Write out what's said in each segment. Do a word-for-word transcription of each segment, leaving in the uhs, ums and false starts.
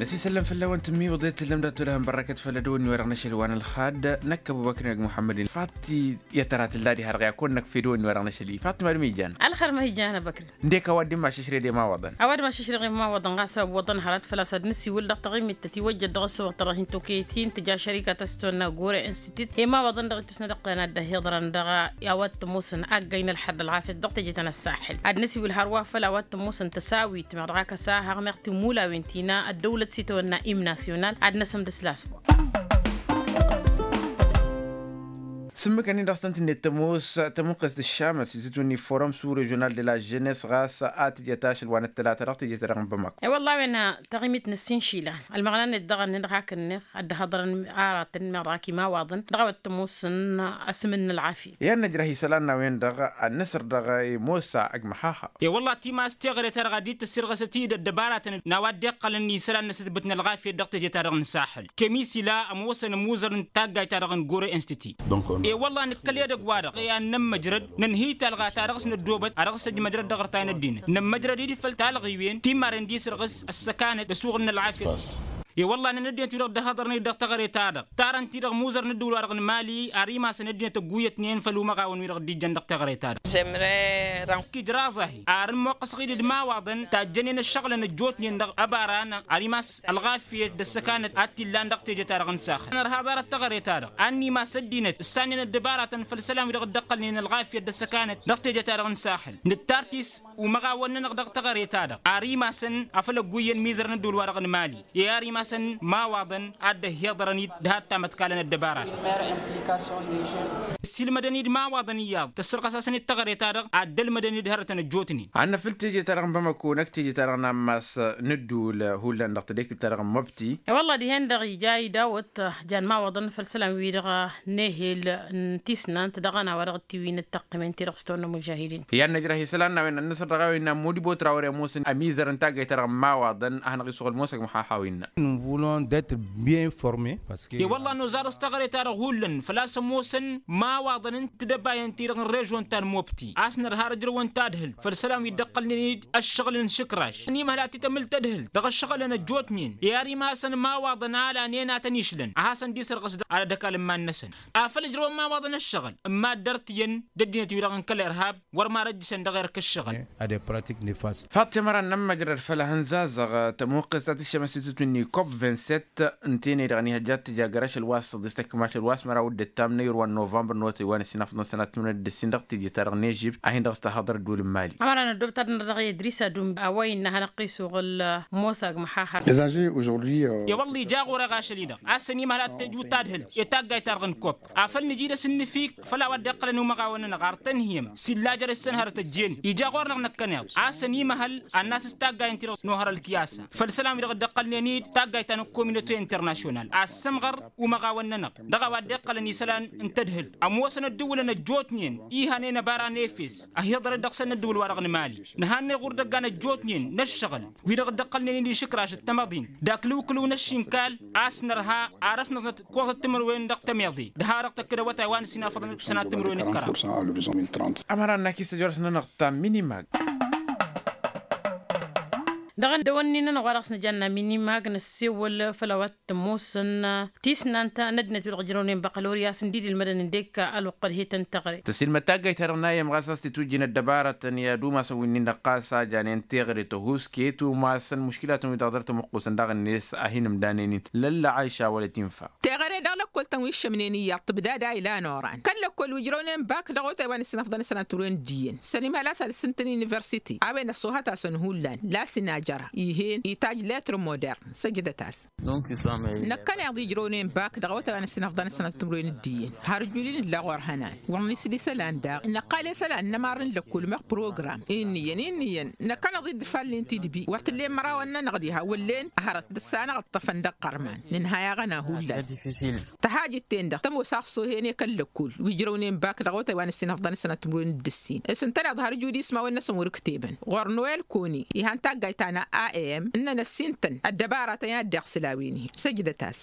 Ăsisăllăm făll-awăn tǝmmiwǝḍet tǝllăm dat-olăhăn bărrăkăt făll-ădwănni wa dăɣ-năšăl wa n-ălxad năkk ăbubăkr n-ag muḥămmăd-in. Faḍt i-ad-tăra tǝlla diha-dăɣ i-ad-kăwăn-năkf edwănni wa dăɣ-năšăl-i faḍt ma d-mijan. Ălxer ma hi-jan abăkr. Ǝndek a-wa dd-immaššăšred i-imawaḍăn. A-wa dd-maššăšred i-imawaḍăn ɣas a ǝwwăḍăn hărăt făl-a-s ad-nǝsiwǝl dăɣ-taɣimit ta tiwăjjăd dăɣ-ăssooɣ-ta-dăɣ hin-tokăyăt-in tǝja šărika ta s-tăwănna gore institut i-imawaḍăn dăɣ-ittusna dăɣ-tăn ad-dd-ăhiḍărăn dăɣ-a-wa t-ămoosăn aggay n-ălxer d-ălɣafyăt dăɣ-teje ta n-ăssaxel ad-nǝsiwǝl hărwa făll-a-wa t-ămoosăn tăsawit meɣ dăɣ-ak ăsahăɣ meɣ timmulawin ti n-a ăddăwlăt s-itawănna im nasyonal ad-năsǝmdǝs lasbur. Sǝmmǝkăn-in dăɣ-s tăn-tǝnnet tămoos tămuqqest d-ăššamăt s-itǝtwǝnni forum sous-režional de la jeunesse ɣas a tǝjăt ašăl wa n-ăttălata dăɣ-teje-ta-dăɣ n-bamako. I-wălla a-wen tăɣimit n-ǝssin išilan ălmăɣna-net daɣ ănnin-dăɣ hakd-net ad-dd-hăḍrăn aratăn meɣ dăɣ-ak imawaḍăn dăɣ-a-wa t-ămoosăn asǝm n-ălɣafyăt. I-ad-nǝjrăh isălan n-a-wen-dăɣ ad-nǝsǝr dăɣ-i mosa ăgg măxaxa. I-wălla timas teɣăre-ta-dăɣ a dd-tăssirɣăsăt-dd ăddăbaratăn n-a-wa dd-iqqălăn isălan n-asǝtbǝt n-ălɣafyăt dăɣ-teje-ta-dăɣ n-saxel. Kămisila ămoosăn ămuuzăr n-taggayt-ta-dăɣ n-gore institut. I-wălla nǝkkăl edăgg-wa-dăɣ i-ad-nămmăjrăd nǝnhǝy talɣa ta dăɣ-s năddoobăt a dăɣ-s ăjmăjrăd dăɣ-ărtay n-ăddinăt nămmăjrăd-dd făll-talɣiwen ti n-marăn dd-isǝrɣǝs ăssăkanăt d-asuɣǝl n-ălɣafyăt. I-wălla-năn ăddinăt-wi-dăɣ dd-ăhhăḍărnen-dd dăɣ-teɣăre-ta-dăɣ tarăn-ti-dăɣ ămuuzăr n-ăddǝwǝl-wa-dăɣ n-mali ar imasăn ăddinăt ăgguyyătnen făll-umăɣawăn-wi-dăɣ dd-ijjăn dăɣ-teɣăre-ta-dăɣ. Ijraẓ-ahi ar ǝmmoqqăsăɣ-dd d-imawaḍăn tajjănen ăššăɣǝlăn ăjjootnen dăɣ-ăbara n-ar imas ălɣafyăt d-ăssăkanăt ad-t-illan dăɣ-teje-ta-dăɣ n-saxăl. Nărha ḍarăt teɣăre-ta-dăɣ ad-nimas ăddinăt ǝssannen ăddăbaratăn făll-isălan-wi-dăɣ dd-ăqqălnen ălɣafyăt d-ăssăkanăt dăɣ-teje-ta-dăɣ n-saxăl nǝttar-t-s umăɣawăn-nănăɣ dăɣ-teɣăre-ta-dăɣ ar imasăn afăl ăgguyyăn mizăr n-ăddǝwǝl-wa-dăɣ n-mali i-ar imasăn imawaḍăn ad-dd-ăhhiḍărăn-dd hat-tamătkalăn ăddăbaratăn. Ăssiilmădăn-dd imawaḍăn iyyăḍ tăssărɣăs-asăn-dd teɣăre-ta-dăɣ ad-dd-ălmădăn-dd hărătăn ăjjootnen. Ad-năfǝl teje-ta-dăɣ n-bamăko năkk teje-ta-dăɣ n-ammas n-ǝddul hullan dăɣ-tadekǝlt-ta-dăɣ n-măbti. I-wălla dihen-dăɣ ija idawăt jan imawaḍăn făll-isălan-wi-dăɣ n-ehel n-tisnant dăɣ-ănawa dăɣ-tiwin d-tăqqǝmen-ti-dăɣ s-tawănna mužahidin. I-ad-năjrăh isălan n-a-wen ănnăsăr dăɣ-a-wen n-ammud ibotra wăr-e ămoosăn ămizăr n-taggayt-ta-dăɣ n-imawaḍăn ad-hanăɣ-isuɣǝl ămoos ăgg măxaxa wi n-na. Nous voulons d'être bien formés. Parce que i-wălla noẓar s-teɣăre-ta-dăɣ hullan făl-a-s ămoosăn imawaḍăn n-tidăbayăn-ti-dăɣ n-režon ta n-mobti a-s nărha ar ǝjrăwăn tadhǝlt făll-isălan wi dd-ǝqqălnen-dd ăššăɣǝl n-išǝkraš ănimăhăl ad-t-tămǝl tadhǝlt dăɣ-ăššăɣǝlăn ăjjootnen i-ar imasăn imawaḍăn a lanen a tăn-išlăn a hasăn-dd-isărɣǝs dăɣ-ad-ăkall n-iman-năsăn. Afăl ǝjrăwăn imawaḍăn ăššăɣǝl n-mad-dăr-t iyyăn d-ăddinăt-wi-dăɣ n-kăl-irhab wăr marăjjǝšăn dăɣ-erk ǝššăɣǝl. Ad-e pratik nefas. Faḍt timăran n-ămmăjrăd făll-ehăn zazăɣ tămuqqest ta tǝššămăs titǝtwǝnni kop vingt-sept ǝnta-en-i-dăɣ ănihăjja ad-tǝja găr-ašăl wa s-săḍis tăkk-mašăl wa s-măraw d-ǝttam n-ayǝr wa n-novămbăr n-otăy wa n-ǝssin afḍăn sănat timǝrwen d-ǝssin dăɣ-teje-ta-dăɣ n-ežipt a hin-dăɣ s-tăhhăḍăr ăddul n-mali. Ămăra n-ăddob ta dăr-nădăɣ i-idris adum a-wa innă a hanăɣ-t-isuɣǝl mosa ăgg măxaxar. I-wălla ija ɣur-e ɣašăl-i-dăɣ a-s ănimăhăl ad-t-tăjju tadhǝlt i-taggayt-ta-dăɣ n-kop afăl nǝji dăr-s ǝnnǝfik făll-a-wa dd-iqqălăn umăɣawăn-nănăɣ ar tăn-hi-ămm s-illa jere-s săn hărăt ăjjeen ija ɣur-năɣ năkkăneḍ a-s ănimăhăl ad-nasǝs taggayăn-ti-dăɣ n-ohăr ălkiyasa făll-isălan-wi-dăɣ dd-iqqălnen-dd taggayt ta n-communaute international a ăssămɣăr umăɣawăn-nănăɣ dăɣ-a-wa dd-iqqălăn isălan n-tadhǝlt ămoosăn ăddǝwǝlăn ăjjootnen ihanen ăbara n-efes ăhiḍărăt dăɣ-săn n-ăddǝwǝl-wa-dăɣ n-mali nǝhannăy ɣur-dăgg-an ăjjootnen n-ǝššăɣǝl wi-dăɣ dd-iqqălnen-dd išǝkraš d-tamăḍint d-aklǝwkǝlǝw n-ăššinkal a-s nărha ar ăfnăẓnăt kuẓăt timǝrwen dăɣ-tămiḍe d-ha-dăɣ tăkk-dd awătay wa n-ǝssin afăḍăn d-sănat timǝrwen d-kăraḍ. Ămăra n-ak isăjorăt-nănăɣ ta minimag. Dăɣ-ăddăwănni-nănăɣ wa dăɣ-s nǝjanna minimag năssewăl făll-a-wa t-ămoosăn tisnant n-ăddinăt wi-dăɣ ǝjrăwnen băkălorya s-ǝndid ilmădăn ǝndek ălwăqq ălhetăn teɣăre. Tăsilmăd taggayt-ta-dăɣ n-ayyăm ɣas a-s titwǝjjin ăddăbarătăn i-ad-umasăn wi-nin-dăɣ ɣas a janen teɣăre tăhuus ket umasăn muškilatăn wi-dăɣ dăr-tămuqqusăn daɣ-net a hin-ǝmdanen-in lălla aiša wăla tinfa. Teɣăre dăɣ-lăkkol-tăn wi ǝššămnen iyyăḍ tǝbdad a ilan oran kăl-lăkkol wi ǝjrăwnen bak dăɣ-otay wa n-ǝssin afḍăn d-sănat timǝrwen d-iyyăn s-ănimhăl a-s ad-ǝssǝntăn universite a-wen ăṣṣoohăt-asăn hullan la s-inajăra ih'-en itaj letr modern săjdăt-as. Năkkăneḍ ijrăwnen bak dăɣ-awătay wa n-ǝssin afḍăn d-sănat timǝrwen d-iyyăn har ǝjul-in illa ɣur-hănan wăr nǝsli isălan daɣ năqqal i-isălan n-ămar n-lăkkul meɣ program. Inn'-iyyăn inn'-iyyăn năkkăneḍ-dd ifallen tidbi wăr t-ǝllen mărawăn-nănăɣ diha wăllen hărăt d-ăssanăɣ ǝṭṭăfăn dăɣ-iqqărman nǝnhăy aɣăna hullan. Tăhajǝt-ten-dăɣ tămoos aɣsohen i-kăl-lăkkul wi ǝjrăwnen bak dăɣ-awătay wa n-ǝssin afḍăn d-sănat timǝrwen d-ǝssin s-ǝntăneḍ har ǝjud ismawăn n-asăn wăr-ǝktebăn ɣur-noel koni ihan taggayt ta. n-a a m ǝnnăn ăssintăn ăddăbaratăn i-ad-dd-iɣsǝl a-wen-hi. Săjdăt-as.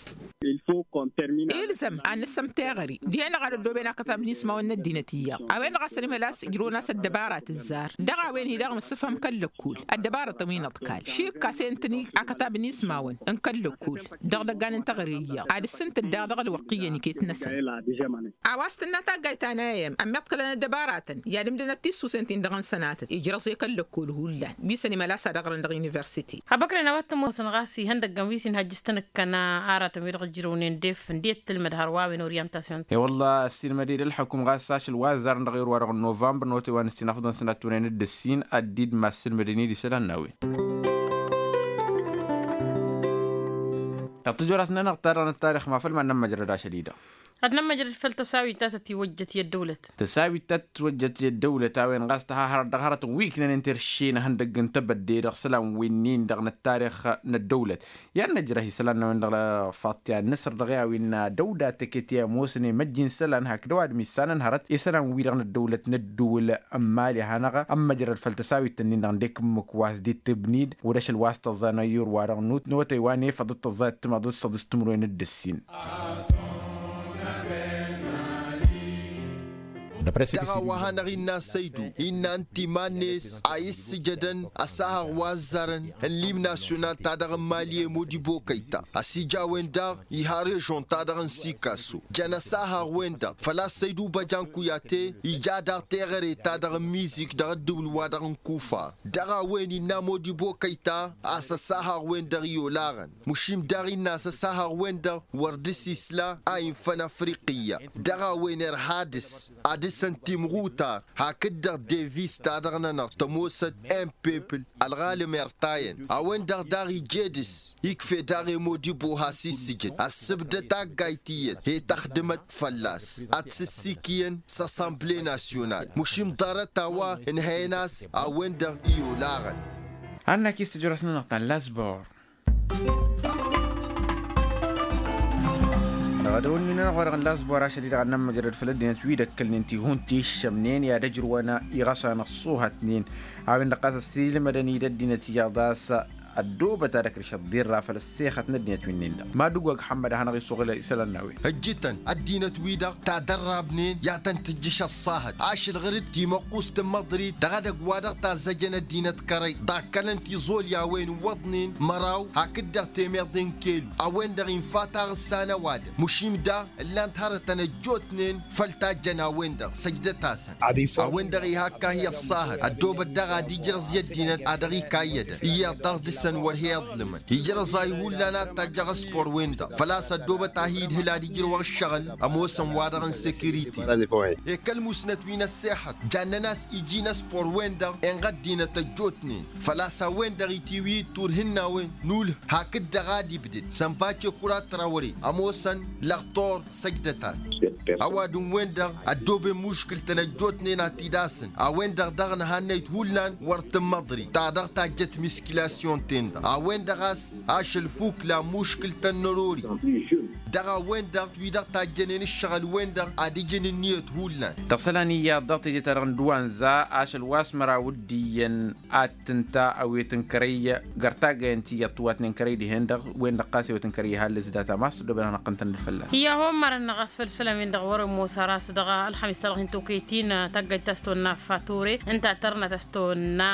Ilzăm ad-nǝssăm teɣăre dihen-dăɣ ad-ăddooben akătab n-ismawăn n-ăddinăt iyyăḍ a-wen-dăɣ a-s ănimhăl a-s ǝjrăwăn a-s ăddăbarat ǝzzar. Dăɣ-a-wen-hi-dăɣ nǝssǝfhăm kăl-lăkkol ăddăbaratăn wi n-aḍkal šik a-s e-ǝntăn akătab n-ismawăn n-kăl-lăkkol. Dăɣ-idăggan n-teɣăre iyyăḍ ad-ǝssǝntǝd daɣ dăɣ-ălwăqq iyyăn iket-năsăn. A-wa s-tǝnna taggayt ta n-a m ămmiḍkălăn ăddăbaratăn i-ad-ǝmdǝnăt tissusen-tin-dăɣ n-sănatăt ijrăẓ i-kăl-lăkkol hullan wi s-ănimăl a-s ad-ăɣrăn dăɣ-universite. Abăkren a-wa t-ămoosăn ɣas ihăndăggăn wi s-inhăjjǝs tanǝkkăna aratăn-wi-dăɣ ǝjrǝwnen def ǝndiyăt tǝlmǝd hărwa a-wen orientasyun. E-wălla ăssiilmăd-dd ălḥukǝm ɣas ašăl wa ăzzarăn dăɣ-erwa-dăɣ n-novămbăr n-otay wa n-ǝssin afḍăn sănattunen d-ǝssin ad-dd-masǝlmădăn-dd isălan n-a-wen. Dăɣ-tijorasnănăɣ ta dăɣ-nǝttarix ma făll-mad-nămmăjrăd ašăl-i-dăɣ. Ad-nămmăjrăd făll-tăsawit ta tătiwăjjăt i-ăddăwlăt. Tăsawit ta tătiwăjjăt i-ăddăwlăt a-wen ɣas tăha hărăt dăɣ-hărătăn wi ǝknănen terše n-ehăndăgg n-tebădde dăɣ-isălan wi-nin-dăɣ n-ăttarix n-ăddăwlăt. I-ad-năjrăh isălan n-a-wen-dăɣ faṭṭi ad-nǝsăr dăɣ-i a-wen dăw-dat teket i-ămoosăn i-măjj n-isălan hakd ăwadǝm issanăn hărăt isălan-wi-dăɣ n-ăddăwlăt n-ădduul n-imali ad-hanăɣ-ămmăjrăd făll-tăsawit-ǝnnin-dăɣ ǝndek ǝmmǝk wa s-dd-tǝbnid. Wăr-ašăl wa s-tăẓẓa n-ayyur-wa-dăɣ n-otay wa n-efăḍ d-tăẓẓa d-timaḍ d-săḍis timǝrwen d-ǝssin. Dăɣ-a-wa hanăɣ-innă a săydu innă ǝnta iman-net a issǝjădăn ăsahăɣ wa ăzzarăn n-lim nasyonal-ta-dăɣ n-imali i-modibo kăyta. Ăsija a-wen-dăɣ iha režon-ta-dăɣ n-sikaso jăn ăsahăɣ-wen-dăɣ făl-a-s săydu băjan kuyate ija daɣ teɣăre-ta-dăɣ n-mizik dăɣ-ăddǝwǝl-wa-dăɣ n-kufa. Dăɣ-a-wen innă modibo kăyta a-s ăsahăɣ-wen-dăɣ i-olaɣăn. Mušim daɣ innă a-s ăsahăɣ-wen-dăɣ wăr dăr-s isla a infăn afriqiyya. Dăɣ-a-wen irha dăr-s ad-dăr-săn timɣutar hakd-dăɣ devis-ta-dăɣ-nănăɣ tămoosăt n-pepǝl. Ălɣalăm irtayăn a-wen-dăɣ daɣ ije dăr-s ikfe daɣ i-modibo has-issǝjǝd ăssǝbdăd taggayt iyyăt he-tăxdǝmăt fălla-s. Ad-t-sǝssikǝyăn s-assemble nasyonal mušim ḍarăt a-wa ǝnhăyăn a-s a-wen-dăɣ i-olaɣăn. Annak-i s-tijorăt-nănăɣ ta n-lasbor. Dăɣ-edăwăl-wi-nănăɣ wa dăɣ-nǝla ăẓbor ašăl-i-dăɣ ad-nămmăjrăd făll-ăddinăt wi d-ăkkălnen tihun ti ǝššămnen i-ad-ăjrǝwăn iɣăsan ăṣṣuhătnen. A-wen-dăɣ ɣas ăssiilmădăn-dd ăddinăt iyyăḍ a-s ăddoobăt ad-ăkrǝš ăḍḍirra făll-ăssexăt n-ăddinăt wi-nin-dăɣ. Madǝgwag ḥămmăd ad-hanăɣ-isuɣǝl isălan n-a-wen. Ǝjjǝtăn ăddinăt-wi-dăɣ ta dăr-rabnen i-ad-tăn-tǝjjǝš ăṣṣahăt ašăl ɣǝr-dd timăqqust n-măḍrit dăɣ-edăgg wa dăɣ-tazzăjăn ăddinăt kărăy ḍakkălăn tiẓolyawen n-iwwăḍnen măraw hakd-dăɣ temeḍe n-kelu. A-wen-dăɣ infa taɣǝssa n-ăwadǝm mušim daɣ ǝllan-t hărătăn ăjjootnen făll-tajjăn a-wen-dăɣ săjdăt-asăn. A-wen-dăɣ iha ǝkkahi ăṣṣahăt ăddoobăt daɣ ad-ijrăẓ i-ăddinăt ad-dăɣ-ikayyădăn iyyăḍ daɣ dăr-săn wăr he-iḍlǝmăn ijrăẓay hullan ad-tajjăɣ ăspor-wen-dăɣ făl-a-s ăddoobăt ad-hi-idhǝl ad-ijrăwăɣ ǝššăɣǝl ămoosăn wa-dăɣ n-sekiriti. Ekăl musnăt wi n-ăssexăt jannen a-s iji n-ăspor-wen-dăɣ inɣăddinăt ăjjootnen făl-a-s a-wen-dăɣ itiwǝy turhǝnnawen n-ulh hakd-dăɣ ad-ibdǝd sănbace kura trawre ămoosăn lăɣtor săjdăt-as. Ăwadǝm-wen-dăɣ ăddooben muškǝl-tăn ăjjootnen ad-t-dd-asǝn a-wen-dăɣ daɣ n-ehannăyt hullan wăr tǝmmăḍri ta dăɣ-tajjăt miskilasyon-ten-dăɣ a-wen-dăɣ a-s ašăl fukla muškǝl-tăn n-ărori. Dăɣ-a-wen-dăɣ wi-dăɣ tajjănen ǝššăɣǝl-wen-dăɣ ad-ǝjǝn ǝnniyăt hullan. Dăɣ-isălan iyyăḍ dăɣ-teje-ta-dăɣ n-duwanza ašăl wa s-măraw d-iyyăn ad-tǝnta ăwet n-kărăy găr taggayăn tiyyăḍ tǝwwatnen kărăy dihen-dăɣ wen-dăɣ ɣas ewet n-kărăy ihallǝs data ma s-tăddobănăɣ năqqăn-tăn-dd fălla-s. Iyyă homărăn-năɣ a-s făll-isălan-win-dăɣ wăr-ămoos ara a-s dăɣ-ălxămis ta dăɣ-hin-tokăyăt-in taggayt ta s-tonna fature ǝnta tărnăt a-s tonna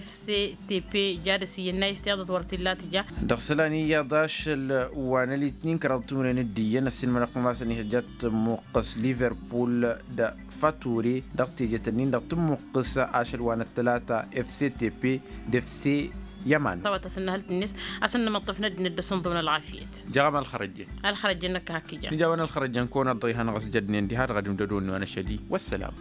f c t p jadăs iyyăn n-a-s tiyyăḍăt wăr t-illa tǝja. Dăɣ-isălan iyyăḍ ašăl wa n-ălitnin kăraḍ timǝrwen d-iyyăn ăssiilmădăɣ-tăn ma s-ănihăjjat tǝmmuqqǝs liverpul d-fature dăɣ-tejet-ǝnnin-dăɣ tǝmmuqqǝs ašăl wa n-ăttălata f c t p d-f c. Yăman. Tawăt-as ǝnnăhăl-t-net a-s ănnămăṭṭăf n-ăddinăt dăr-s ǝnḍǝwăn ălɣafyăt. Jăɣăm ălxărăjjen. Ălxărăjjen năkk hakk ija. Nǝja a-wen ălxărăjjen kăwăn-ăḍḍăy hanăɣ-s jădnen diha-dăɣ ad-imdădon n-wa n-ašăl-i wăssălam.